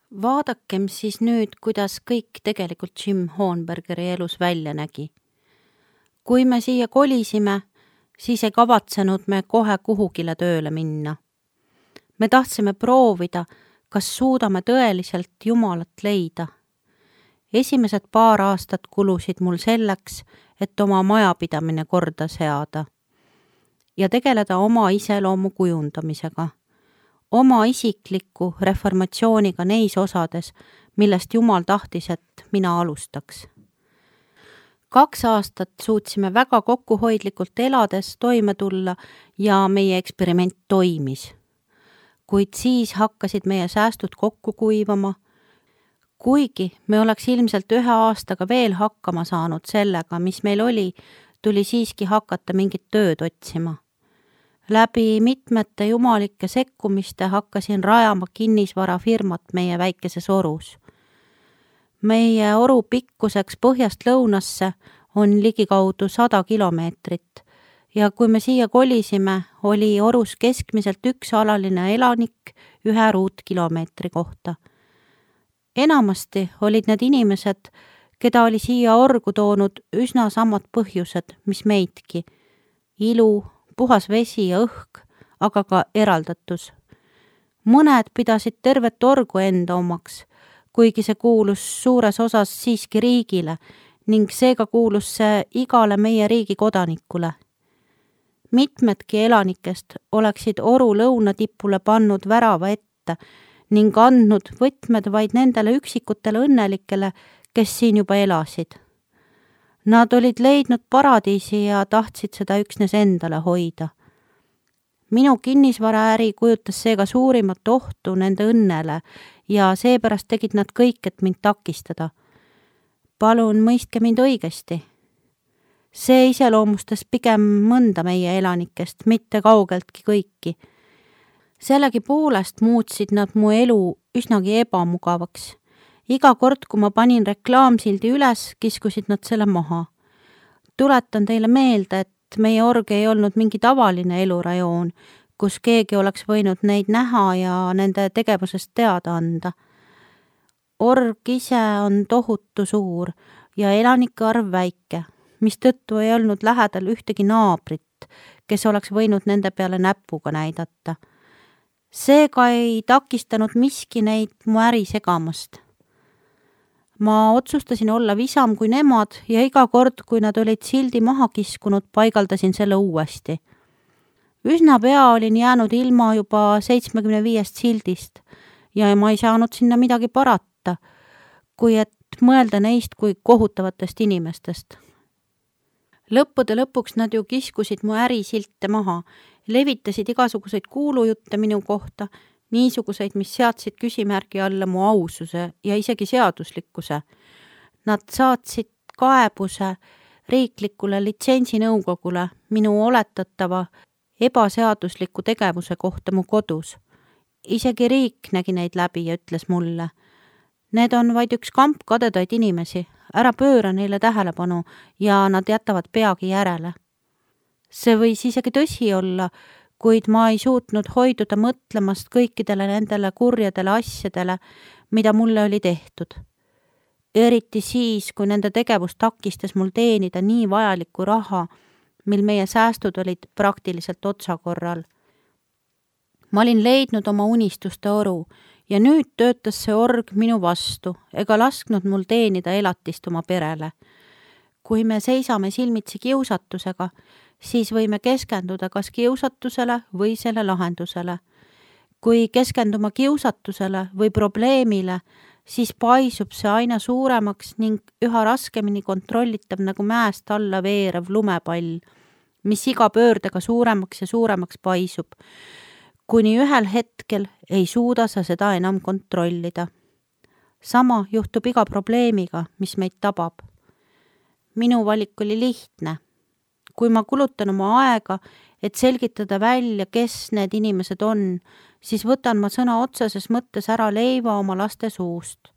Vaadakem siis nüüd, kuidas kõik tegelikult Jim Hohenbergeri elus välja nägi. Kui me siia kolisime, siis ei kavatsenud me kohe kuhugile tööle minna. Me tahtsime proovida, kas suudame tõeliselt Jumalat leida. Esimesed paar aastat kulusid mul selleks, et oma majapidamine korda seada ja tegeleda oma iseloomu kujundamisega, oma isikliku reformatsiooniga neis osades, millest Jumal tahtis, et mina alustaks. 2 aastat suutsime väga kokkuhoidlikult elades toime tulla ja meie eksperiment toimis. Kuid siis hakkasid meie säästud kokku kuivama. Kuigi me oleks ilmselt 1 aastaga veel hakkama saanud sellega, mis meil oli, tuli siiski hakata mingit tööd otsima. Läbi mitmete jumalike sekkumiste hakkasin rajama kinnisvarafirmat meie väikeses orus. Meie oru pikkuseks põhjast lõunasse on ligikaudu 100 kilomeetrit ja kui me siia kolisime, oli orus keskmiselt 1 alaline elanik 1 ruutkilomeetri kohta. Enamasti olid need inimesed, keda oli siia orgu toonud üsna samad põhjused, mis meidki. Ilu, puhas vesi ja õhk, aga ka eraldatus. Mõned pidasid tervet orgu enda omaks, kuigi see kuulus suures osas siiski riigile ning seega kuulus see igale meie riigi kodanikule. Mitmedki elanikest oleksid oru lõunatipule pannud värava ette ning andnud võtmed vaid nendele üksikutele õnnelikele, kes siin juba elasid. Nad olid leidnud paradiisi ja tahtsid seda üksnes endale hoida. Minu kinnisvaraäri kujutas seega suurimat ohtu nende õnnele ja seepärast tegid nad kõik, et mind takistada. Palun mõistke mind õigesti. See iseloomustas pigem mõnda meie elanikest, mitte kaugeltki kõiki. Sellegipoolest muutsid nad mu elu üsnagi ebamugavaks. Iga kord, kui ma panin reklaamsildi üles, kiskusid nad selle maha. Tuletan teile meelde, et meie org ei olnud mingi tavaline elurajoon, kus keegi oleks võinud neid näha ja nende tegevusest teada anda. Org ise on tohutu suur ja elanike arv väike, mistõttu ei olnud lähedal ühtegi naabrit, kes oleks võinud nende peale näpuga näidata. Seega ei takistanud miski neid mu äri segamast. Ma otsustasin olla visam kui nemad ja iga kord, kui nad olid sildi maha kiskunud, paigaldasin selle uuesti. Üsna pea olin jäänud ilma juba 75 sildist ja ma ei saanud sinna midagi parata, kui et mõelda neist kui kohutavatest inimestest. Lõppude lõpuks nad ju kiskusid mu ärisilte maha, levitasid igasuguseid kuulujutte minu kohta, niisuguseid, mis seadsid küsimärgi alla mu aususe ja isegi seaduslikkuse. Nad saatsid kaebuse riiklikule litsentsinõukogule minu oletatava ebaseadusliku tegevuse kohta mu kodus. Isegi riik nägi neid läbi ja ütles mulle, need on vaid üks kamp kadedaid inimesi, ära pööra neile tähelepanu ja nad jätavad peagi järele. See võis isegi tõsi olla, kuid ma ei suutnud hoiduda mõtlemast kõikidele nendele kurjadele asjadele, mida mulle oli tehtud. Eriti siis, kui nende tegevus takistas mul teenida nii vajalikku raha, mil meie säästud olid praktiliselt otsakorral. Ma olin leidnud oma unistuste oru ja nüüd töötas see org minu vastu ega lasknud mul teenida elatist oma perele. Kui me seisame silmitsi kiusatusega, siis võime keskenduda kas kiusatusele või selle lahendusele. Kui keskenduma kiusatusele või probleemile, siis paisub see aina suuremaks ning üha raskemini kontrollitav nagu mäest alla veerev lumepall, mis iga pöördega suuremaks ja suuremaks paisub, kuni ühel hetkel ei suuda sa seda enam kontrollida. Sama juhtub iga probleemiga, mis meid tabab. Minu valik oli lihtne. Kui ma kulutan oma aega, et selgitada välja, kes need inimesed on, siis võtan ma sõna otseses mõttes ära leiva oma laste suust.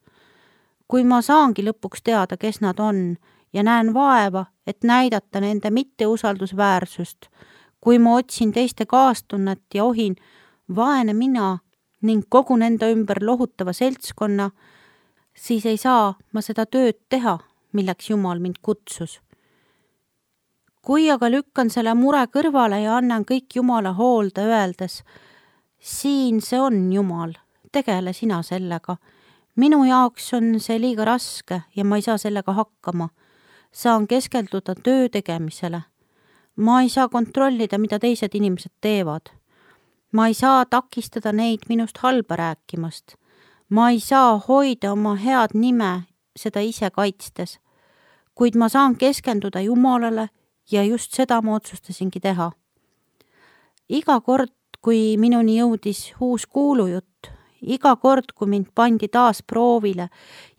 Kui ma saangi lõpuks teada, kes nad on ja näen vaeva, et näidata nende mitteusaldusväärsust, kui ma otsin teiste kaastunnet ja ohin, vaene mina, ning kogun enda ümber lohutava seltskonna, siis ei saa ma seda tööd teha, milleks Jumal mind kutsus. Kui aga lükkan selle mure kõrvale ja annan kõik Jumala hoolde öeldes, siin see on Jumal, tegele sina sellega. Minu jaoks on see liiga raske ja ma ei saa sellega hakkama. Saan keskelduda töö tegemisele. Ma ei saa kontrollida, mida teised inimesed teevad. Ma ei saa takistada neid minust halba rääkimast. Ma ei saa hoida oma head nime seda ise kaitstes. Kuid ma saan keskenduda Jumalale ja just seda ma otsustasingi teha. Iga kord, kui minuni jõudis uus kuulujutt, iga kord, kui mind pandi taas proovile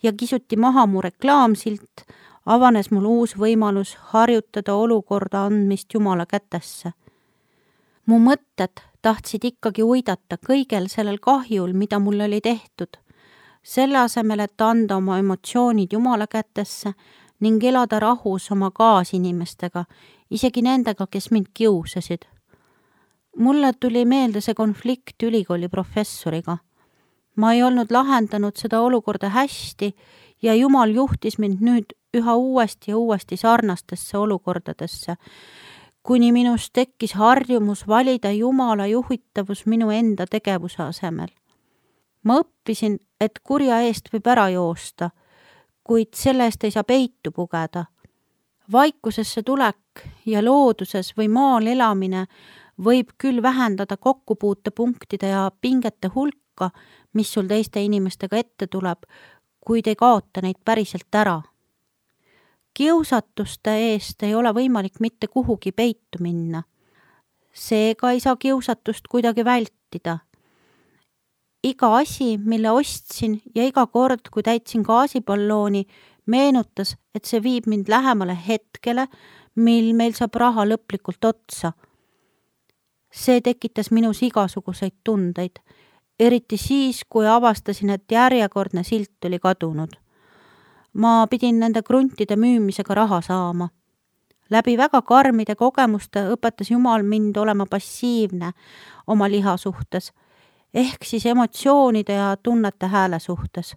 ja kisuti maha mu reklaamsilt, avanes mul uus võimalus harjutada olukorda andmist Jumala kätesse. Mu mõtted tahtsid ikkagi uidata kõigel sellel kahjul, mida mul oli tehtud, selle asemel, et anda oma emotsioonid Jumala kätesse ning elada rahus oma kaasinimestega, isegi nendega, kes mind kiusasid. Mulle tuli meelde see konflikt ülikooli professoriga. Ma ei olnud lahendanud seda olukorda hästi ja Jumal juhtis mind nüüd üha uuesti ja uuesti sarnastesse olukordadesse, kuni minus tekkis harjumus valida Jumala juhitavus minu enda tegevuse asemel. Ma õppisin, et kurja eest võib ära joosta, kuid selle eest ei saa peitu pugeda. Vaikusesse tulek ja looduses või maal elamine võib küll vähendada kokkupuutepunktide ja pingete hulka, mis sul teiste inimestega ette tuleb, kuid ei kaota neid päriselt ära. Kiusatuste eest ei ole võimalik mitte kuhugi peitu minna. Seega ei saa kiusatust kuidagi vältida. Iga asi, mille ostsin ja iga kord, kui täitsin gaasipallooni, meenutas, et see viib mind lähemale hetkele, mil meil saab raha lõplikult otsa. See tekitas minus igasuguseid tundeid, eriti siis, kui avastasin, et järjekordne silt oli kadunud. Ma pidin nende kruntide müümisega raha saama. Läbi väga karmide kogemuste õpetas Jumal mind olema passiivne oma liha suhtes, ehk siis emotsioonide ja tunnete hääle suhtes.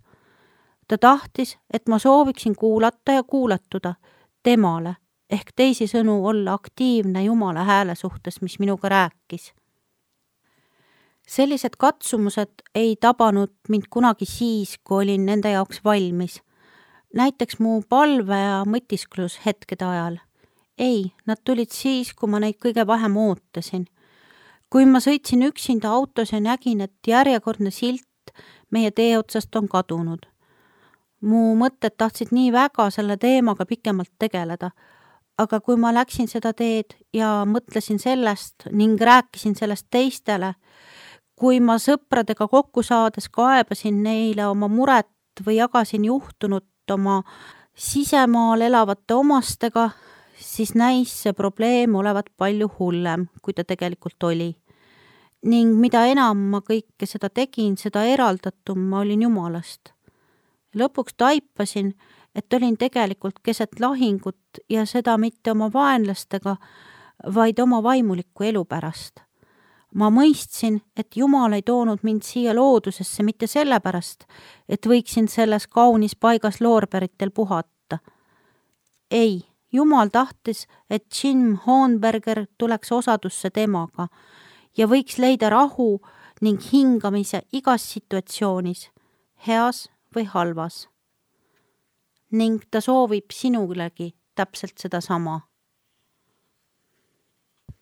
Ta tahtis, et ma sooviksin kuulata ja kuulatuda temale, ehk teisisõnu olla aktiivne Jumala hääle suhtes, mis minuga rääkis. Sellised katsumused ei tabanud mind kunagi siis, kui olin nende jaoks valmis. Näiteks mu palve ja mõtisklus hetkede ajal. Ei, nad tulid siis, kui ma neid kõige vähem ootasin. Kui ma sõitsin üksinda autos ja nägin, et järjekordne silt meie tee otsast on kadunud. Mu mõtted tahtsid nii väga selle teemaga pikemalt tegeleda, aga kui ma läksin seda teed ja mõtlesin sellest ning rääkisin sellest teistele, kui ma sõpradega kokku saades kaebasin neile oma muret või jagasin juhtunut oma sisemaal elavate omastega, siis näis see probleem olevat palju hullem, kui ta tegelikult oli. Ning mida enam ma kõike seda tegin, seda eraldatum ma olin Jumalast. Lõpuks taipasin, et olin tegelikult keset lahingut ja seda mitte oma vaenlastega, vaid oma vaimuliku elu pärast. Ma mõistsin, et Jumal ei toonud mind siia loodusesse mitte sellepärast, et võiksin selles kaunis paigas loorberitel puhata. Ei, Jumal tahtis, et Jim Hohenberger tuleks osadusse temaga ja võiks leida rahu ning hingamise igas situatsioonis, heas või halvas. Ning ta soovib sinulegi täpselt seda sama.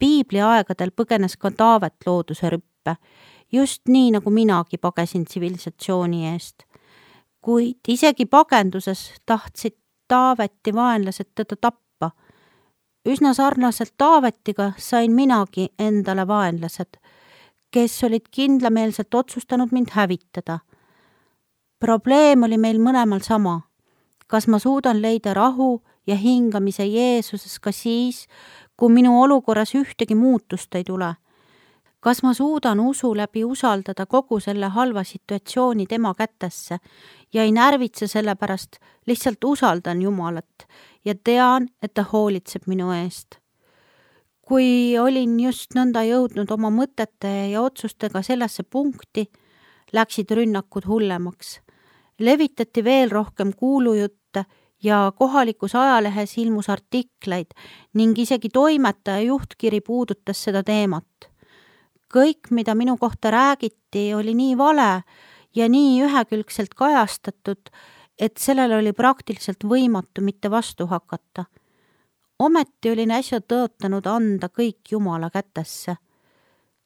Piibli aegadel põgenes ka Taavet looduse rüppe, just nii nagu minagi pagesin tsivilisatsiooni eest. Kuid isegi pagenduses tahtsid Taaveti vaenlased teda tappa. Üsna sarnaselt Taavetiga sain minagi endale vaenlased, kes olid kindlameelselt otsustanud mind hävitada. Probleem oli meil mõlemal sama. Kas ma suudan leida rahu ja hingamise Jeesuses ka siis, kui minu olukorras ühtegi muutust ei tule? Kas ma suudan usu läbi usaldada kogu selle halva situatsiooni tema kätesse ja ei närvitse selle pärast, lihtsalt usaldan Jumalat ja tean, et ta hoolitseb minu eest? Kui olin just nõnda jõudnud oma mõtete ja otsustega sellesse punkti, läksid rünnakud hullemaks. Levitati veel rohkem kuulujutte ja kohalikus ajalehes ilmus artikleid ning isegi toimetaja juhtkiri puudutas seda teemat. Kõik, mida minu kohta räägiti, oli nii vale ja nii ühekülgselt kajastatud, et sellele oli praktiliselt võimatu mitte vastu hakata. Ometi olin äsja tõotanud anda kõik Jumala kätesse.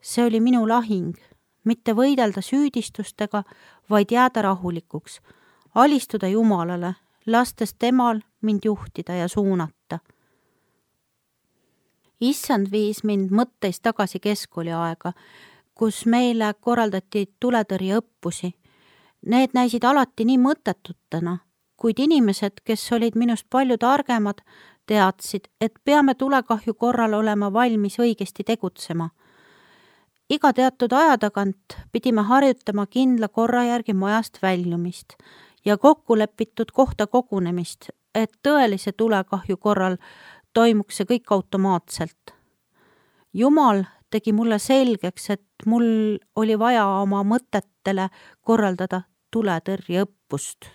See oli minu lahing, mitte võidelda süüdistustega, vaid jääda rahulikuks, alistuda Jumalale, lastes temal mind juhtida ja suunata. Issand viis mind mõtteis tagasi keskkooli aega, kus meile korraldati tuletõrjeõppusi. Need näisid alati nii mõttetutena, kuid inimesed, kes olid minust palju targemad, teadsid, et peame tulekahju korral olema valmis õigesti tegutsema. Iga teatud aja tagant pidime harjutama kindla korra järgi majast väljumist ja kokkulepitud kohta kogunemist, et tõelise tulekahju korral toimuks see kõik automaatselt. Jumal tegi mulle selgeks, et mul oli vaja oma mõtetele korraldada tuletõrjeõppust.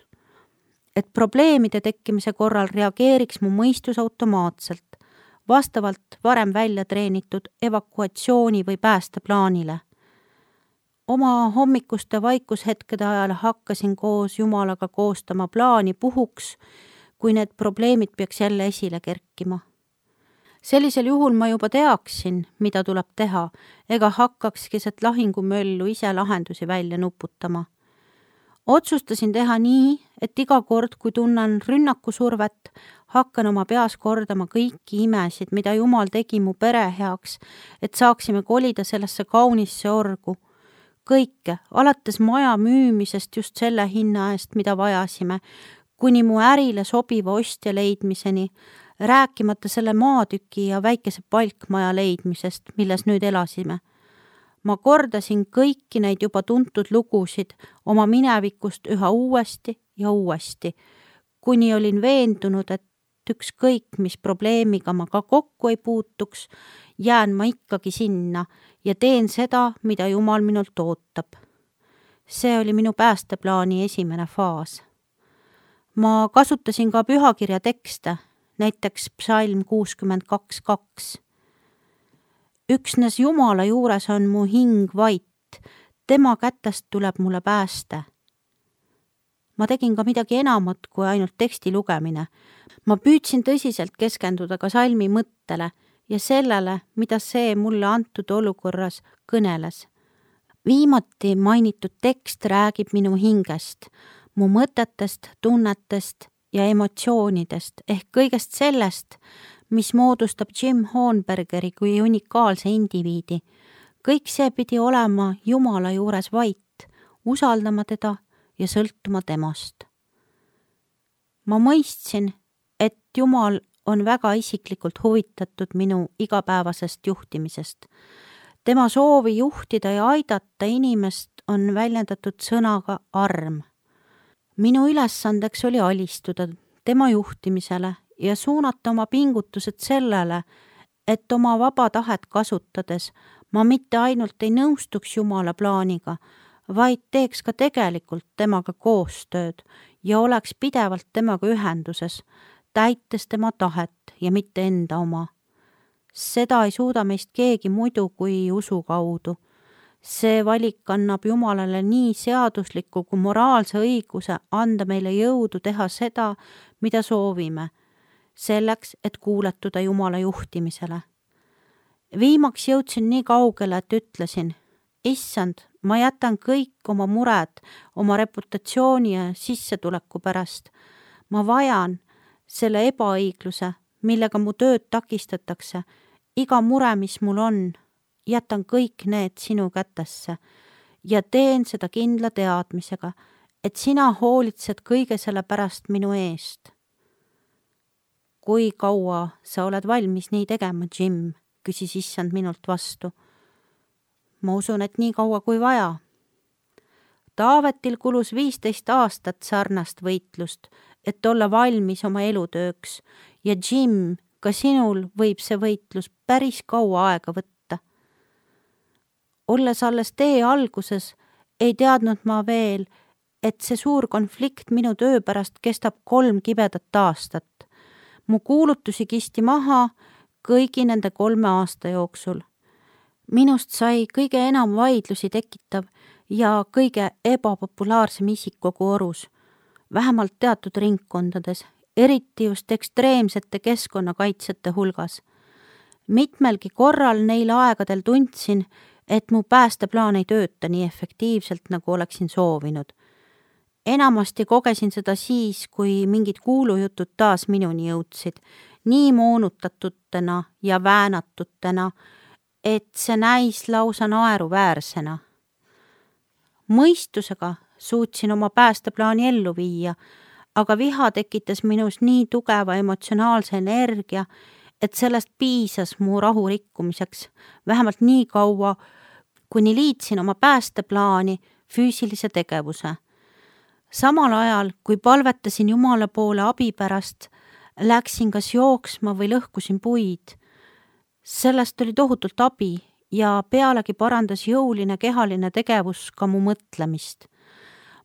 Et probleemide tekkimise korral reageeriks mu mõistus automaatselt, vastavalt varem välja treenitud evakuatsiooni või päästeplaanile. Oma hommikuste vaikushetkede ajal hakkasin koos Jumalaga koostama plaani puhuks, kui need probleemid peaks jälle esile kerkima. Sellisel juhul ma juba teaksin, mida tuleb teha, ega hakkaks keset lahingumöllu ise lahendusi välja nuputama. Otsustasin teha nii, et iga kord, kui tunnen rünnakusurvet, hakkan oma peas kordama kõiki imesid, mida Jumal tegi mu pere heaks, et saaksime kolida sellesse kaunisse orgu. Kõike, alates maja müümisest just selle hinna eest, mida vajasime, kuni mu ärile sobiva ostja leidmiseni, rääkimata selle maatüki ja väikese palkmaja leidmisest, milles nüüd elasime. Ma kordasin kõiki neid juba tuntud lugusid oma minevikust üha uuesti ja uuesti, kuni olin veendunud, et ükskõik, mis probleemiga ma ka kokku ei puutuks, jään ma ikkagi sinna ja teen seda, mida Jumal minult ootab. See oli minu päästeplaani esimene faas. Ma kasutasin ka pühakirja tekste, näiteks psalm 62:2. Üksnes Jumala juures on mu hing vait, tema kätest tuleb mulle pääste. Ma tegin ka midagi enamat kui ainult teksti lugemine. Ma püüdsin tõsiselt keskenduda ka salmi mõttele ja sellele, mida see mulle antud olukorras kõneles. Viimati mainitud tekst räägib minu hingest, mu mõtetest, tunnetest ja emotsioonidest ehk kõigest sellest, mis moodustab Jim Hornbergeri kui unikaalse indiviidi. Kõik see pidi olema Jumala juures vait, usaldama teda ja sõltuma temast. Ma mõistsin, et Jumal on väga isiklikult huvitatud minu igapäevasest juhtimisest. Tema soovi juhtida ja aidata inimest on väljendatud sõnaga arm. Minu ülesandeks oli alistuda tema juhtimisele ja suunata oma pingutused sellele, et oma vaba tahet kasutades ma mitte ainult ei nõustuks Jumala plaaniga, vaid teeks ka tegelikult temaga koostööd ja oleks pidevalt temaga ühenduses, täites tema tahet ja mitte enda oma. Seda ei suuda meist keegi muidu kui usu kaudu. See valik annab Jumalale nii seadusliku kui moraalse õiguse anda meile jõudu teha seda, mida soovime, selleks, et kuuletuda Jumala juhtimisele. Viimaks jõudsin nii kaugele, et ütlesin, Issand, ma jätan kõik oma mured, oma reputatsiooni ja sissetuleku pärast. Ma vajan selle ebaõigluse, millega mu tööd takistatakse, iga mure, mis mul on, jätan kõik need sinu kätesse ja teen seda kindla teadmisega, et sina hoolitsed kõige selle pärast minu eest. Kui kaua sa oled valmis nii tegema, Jim? Küsis Issand minult vastu. Ma usun, et nii kaua kui vaja. Taavetil kulus 15 aastat sarnast võitlust, et olla valmis oma elutööks ja Jim, ka sinul võib see võitlus päris kaua aega võtta. Olles alles tee alguses, ei teadnud ma veel, et see suur konflikt minu töö pärast kestab 3 kibedat aastat. Mu kuulutusi kisti maha kõigi nende 3 aasta jooksul. Minust sai kõige enam vaidlusi tekitav ja kõige ebapopulaarsem isik kogu Orus, vähemalt teatud ringkondades, eriti just ekstreemsete keskkonnakaitsjate hulgas. Mitmelgi korral neil aegadel tundsin, et mu päästeplaan ei tööta nii efektiivselt, nagu oleksin soovinud. Enamasti kogesin seda siis, kui mingid kuulujutud taas minuni jõudsid, nii moonutatutena ja väänatutena, et see näis lausa naeruväärsena. Mõistusega suutsin oma päästeplaani ellu viia, aga viha tekitas minus nii tugeva emotsionaalse energia, et sellest piisas mu rahu rikkumiseks, vähemalt nii kaua, kuni liitsin oma päästeplaani füüsilise tegevuse. Samal ajal, kui palvetasin Jumala poole abi pärast, läksin kas jooksma või lõhkusin puid. Sellest oli tohutult abi ja pealegi parandas jõuline kehaline tegevus ka mu mõtlemist.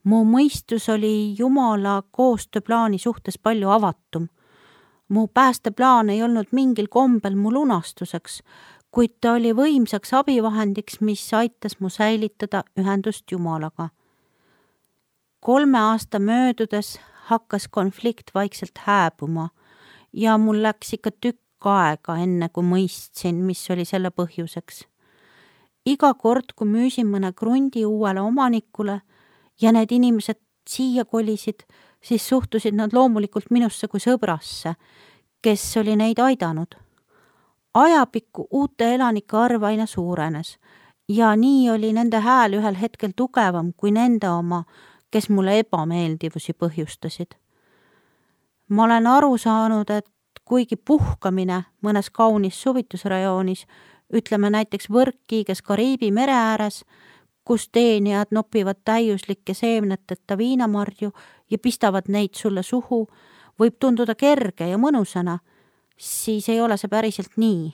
Mu mõistus oli Jumala koostööplaani suhtes palju avatum. Mu päästeplaan ei olnud mingil kombel mu lunastuseks, kuid ta oli võimsaks abivahendiks, mis aitas mu säilitada ühendust Jumalaga. 3 aasta möödudes hakkas konflikt vaikselt hääbuma ja mul läks ikka tükk aega, enne kui mõistsin, mis oli selle põhjuseks. Iga kord, kui müüsin mõne krundi uuele omanikule ja need inimesed siia kolisid, siis suhtusid nad loomulikult minusse kui sõbrasse, kes oli neid aidanud. Ajapikku uute elanike arv aina suurenes ja nii oli nende hääl ühel hetkel tugevam kui nende oma, kes mulle ebameeldivusi põhjustasid. Ma olen aru saanud, et kuigi puhkamine mõnes kaunis suvitusrajoonis, ütleme näiteks Võrkkiiges Kariibi mere ääres, kus teenijad nopivad täiuslike seemneteta viinamarju ja pistavad neid sulle suhu, võib tunduda kerge ja mõnusana, siis ei ole see päriselt nii.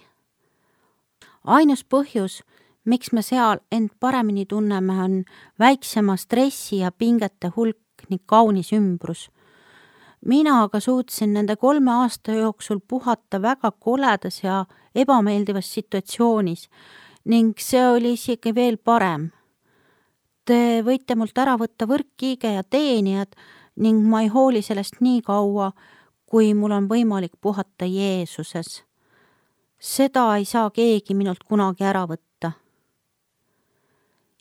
Ainus põhjus, miks me seal end paremini tunneme, on väiksema stressi ja pingete hulk ning kaunis ümbrus. Mina aga suutsin nende 3 aasta jooksul puhata väga koledas ja ebameeldivas situatsioonis ning see oli isegi veel parem. Te võite mult ära võtta Võrkkiige ja teenijad ning ma ei hooli sellest nii kaua, kui mul on võimalik puhata Jeesuses. Seda ei saa keegi minult kunagi ära võtta.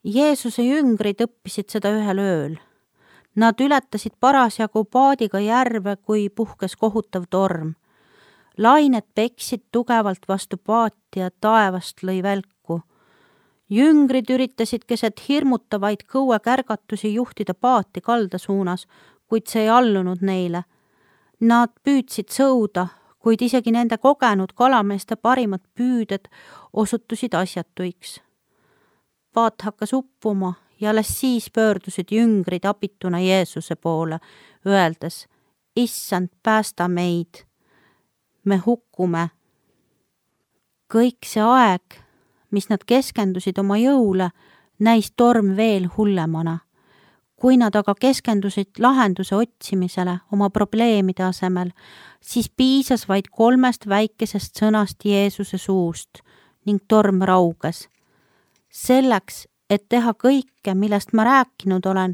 Jeesuse jüngrid õppisid seda ühel ööl. Nad ületasid parasjagu paadiga järve, kui puhkes kohutav torm. Lained peksid tugevalt vastu paati ja taevast lõi välku. Jüngrid üritasid keset hirmutavaid kõuekärgatusi juhtida paati kalda suunas, kuid see ei allunud neile. Nad püüdsid sõuda, kuid isegi nende kogenud kalameeste parimad püüded osutusid asjatuiks. Paat hakkas uppuma ja alles siis pöördusid jüngrid abituna Jeesuse poole, öeldes, Issand, päästa meid, me hukkume. Kõik see aeg, mis nad keskendusid oma jõule, näis torm veel hullemana. Kui nad aga keskendusid lahenduse otsimisele oma probleemide asemel, siis piisas vaid 3 väikesest sõnast Jeesuse suust ning torm rauges. Selleks, et teha kõike, millest ma rääkinud olen,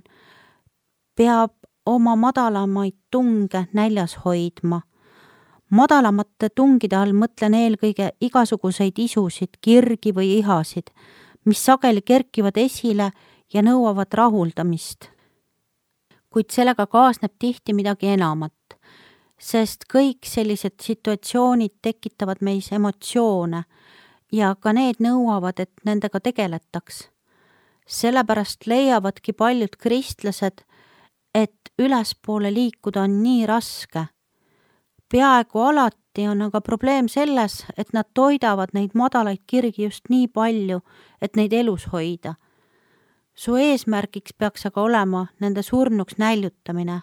peab oma madalamaid tunge näljas hoidma. Madalamate tungide all mõtlen eelkõige igasuguseid isusid, kirgi või ihasid, mis sageli kerkivad esile ja nõuavad rahuldamist. Kuid sellega kaasneb tihti midagi enamat, sest kõik sellised situatsioonid tekitavad meis emotsioone ja ka need nõuavad, et nendega tegeletaks. Sellepärast leiavadki paljud kristlased, et ülespoole liikuda on nii raske. Peaaegu alati on aga probleem selles, et nad toidavad neid madalaid kirgi just nii palju, et neid elus hoida. Su eesmärgiks peaks aga olema nende surnuks näljutamine.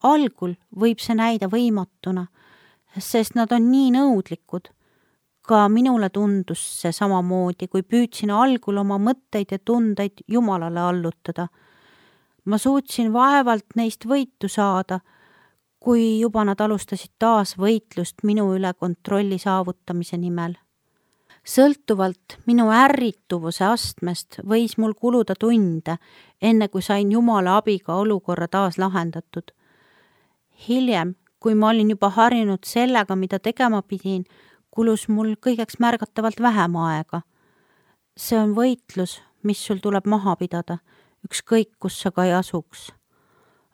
Algul võib see näida võimatuna, sest nad on nii nõudlikud. Ka minule tundus see samamoodi, kui püüdsin algul oma mõtteid ja tundeid Jumalale allutada. Ma suutsin vaevalt neist võitu saada, kui juba nad alustasid taas võitlust minu üle kontrolli saavutamise nimel. Sõltuvalt minu ärrituvuse astmest võis mul kuluda tunde, enne kui sain Jumala abiga olukorra taas lahendatud. Hiljem, kui ma olin juba harjunud sellega, mida tegema pidin, kulus mul kõigeks märgatavalt vähem aega. See on võitlus, mis sul tuleb maha pidada, ükskõik kus sa ka ei asuks.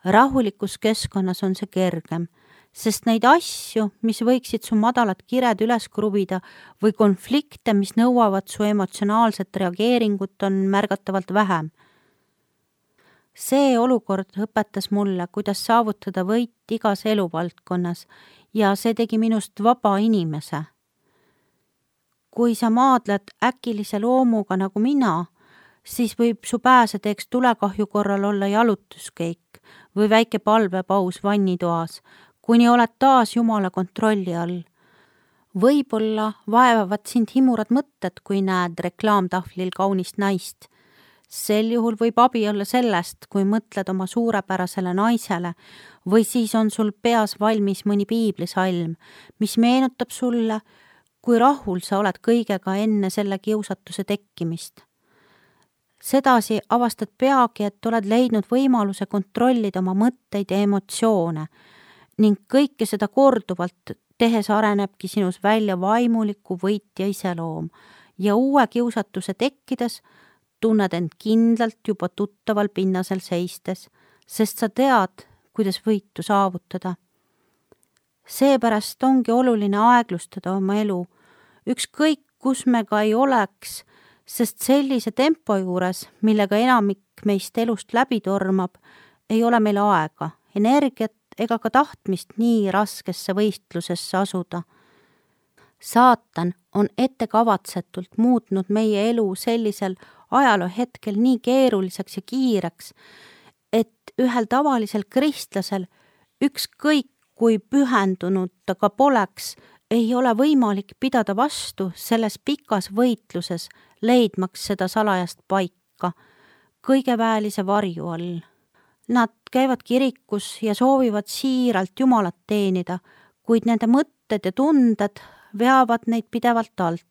Rahulikus keskkonnas on see kergem, sest neid asju, mis võiksid su madalat kired üles kruvida või konflikte, mis nõuavad su emotsionaalset reageeringut, on märgatavalt vähem. See olukord õpetas mulle, kuidas saavutada võit igas eluvaldkonnas ja see tegi minust vaba inimese. Kui sa maadled äkilise loomuga nagu mina, siis võib su pääseteeks tulekahju korral olla jalutuskeik või väike palvepaus vannitoas, kuni oled taas Jumala kontrolli all. Võib-olla vaevavad sind himurad mõtted, kui näed reklaamtahvlil kaunist naist. Sel juhul võib abi olla sellest, kui mõtled oma suurepärasele naisele või siis on sul peas valmis mõni piiblisalm, mis meenutab sulle, kui rahul sa oled kõigega enne selle kiusatuse tekkimist. Sedasi avastad peagi, et oled leidnud võimaluse kontrollida oma mõtteid ja emotsioone ning kõike seda korduvalt tehes arenebki sinus välja vaimuliku võitja iseloom ja uue kiusatuse tekkides tunned end kindlalt juba tuttaval pinnasel seistes, sest sa tead, kuidas võitu saavutada. Seepärast ongi oluline aeglustada oma elu, ükskõik kus me ka ei oleks, sest sellise tempo juures, millega enamik meist elust läbi tormab, ei ole meil aega, energiat ega ka tahtmist nii raskesse võistlusesse asuda. Saatan on ettekavatsetult muutnud meie elu sellisel ajaloo hetkel nii keeruliseks ja kiireks, et ühel tavalisel kristlasel, ükskõik kui pühendunud ta ka poleks, ei ole võimalik pidada vastu selles pikas võitluses, leidmaks seda salajast paika, kõigeväelise varju all. Nad käivad kirikus ja soovivad siiralt Jumalat teenida, kuid nende mõtted ja tunded veavad neid pidevalt alt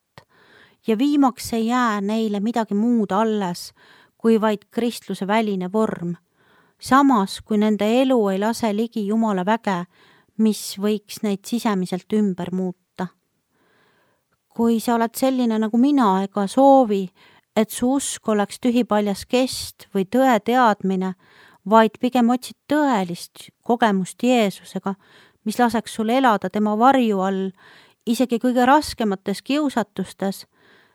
ja viimaks ei jää neile midagi muud alles, kui vaid kristluse väline vorm. Samas, kui nende elu ei lase ligi Jumala väge, mis võiks neid sisemiselt ümber muuta. Kui sa oled selline nagu mina ega soovi, et su usk oleks tühipaljas kest või tõe teadmine, vaid pigem otsid tõelist kogemust Jeesusega, mis laseks sul elada tema varju all, isegi kõige raskemates kiusatustes,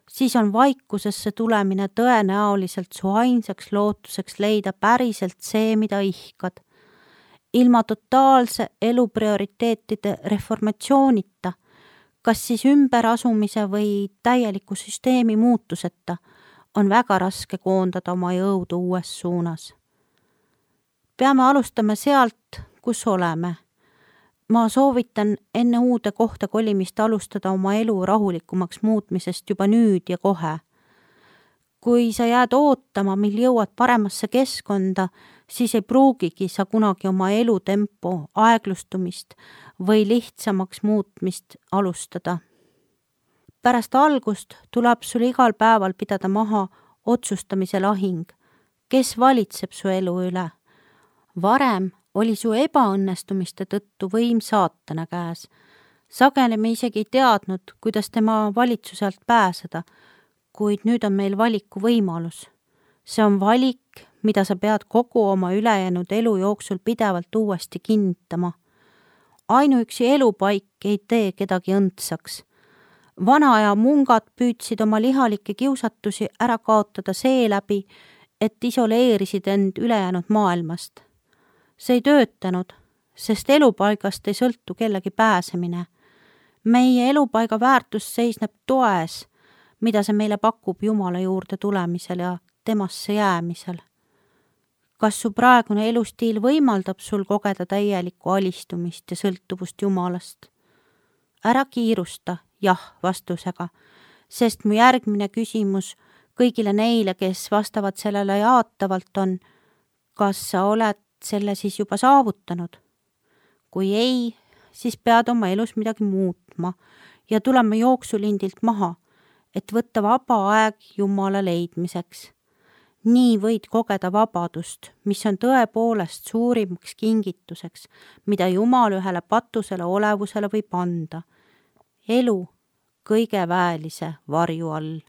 siis on vaikusesse tulemine tõenäoliselt su ainsaks lootuseks leida päriselt see, mida ihkad. Ilma totaalse elu prioriteetide reformatsioonita, kas siis ümberasumise või täieliku süsteemi muutuseta, on väga raske koondada oma jõudu uues suunas. Peame alustama sealt, kus oleme. Ma soovitan enne uude kohta kolimist alustada oma elu rahulikumaks muutmisest juba nüüd ja kohe. Kui sa jääd ootama, mil jõuad paremasse keskkonda, siis ei pruugigi sa kunagi oma elutempo aeglustumist või lihtsamaks muutmist alustada. Pärast algust tuleb sul igal päeval pidada maha otsustamise lahing, kes valitseb su elu üle. Varem oli su ebaõnnestumiste tõttu võim saatana käes. Sageli me isegi ei teadnud, kuidas tema valitsuse alt pääseda, kuid nüüd on meil valiku võimalus. See on valik, mida sa pead kogu oma ülejäänud elu jooksul pidevalt uuesti kinnitama. Ainuüksi elupaik ei tee kedagi õndsaks. Vana aja mungad püüdsid oma lihalikke kiusatusi ära kaotada seeläbi, et isoleerisid end ülejäänud maailmast. See ei töötanud, sest elupaigast ei sõltu kellegi pääsemine. Meie elupaiga väärtus seisneb toes, mida see meile pakub Jumala juurde tulemisel ja temasse jäämisel. Kas su praegune elustiil võimaldab sul kogeda täielikku alistumist ja sõltuvust Jumalast? Ära kiirusta jah vastusega, sest mu järgmine küsimus kõigile neile, kes vastavad sellele jaatavalt on, kas sa oled selle siis juba saavutanud? Kui ei, siis pead oma elus midagi muutma ja tulema jooksulindilt maha, et võtta vaba aeg Jumala leidmiseks. Nii võid kogeda vabadust, mis on tõepoolest suurimaks kingituseks, mida Jumal ühele patusele olevusele võib anda. Elu kõige väelise varju all.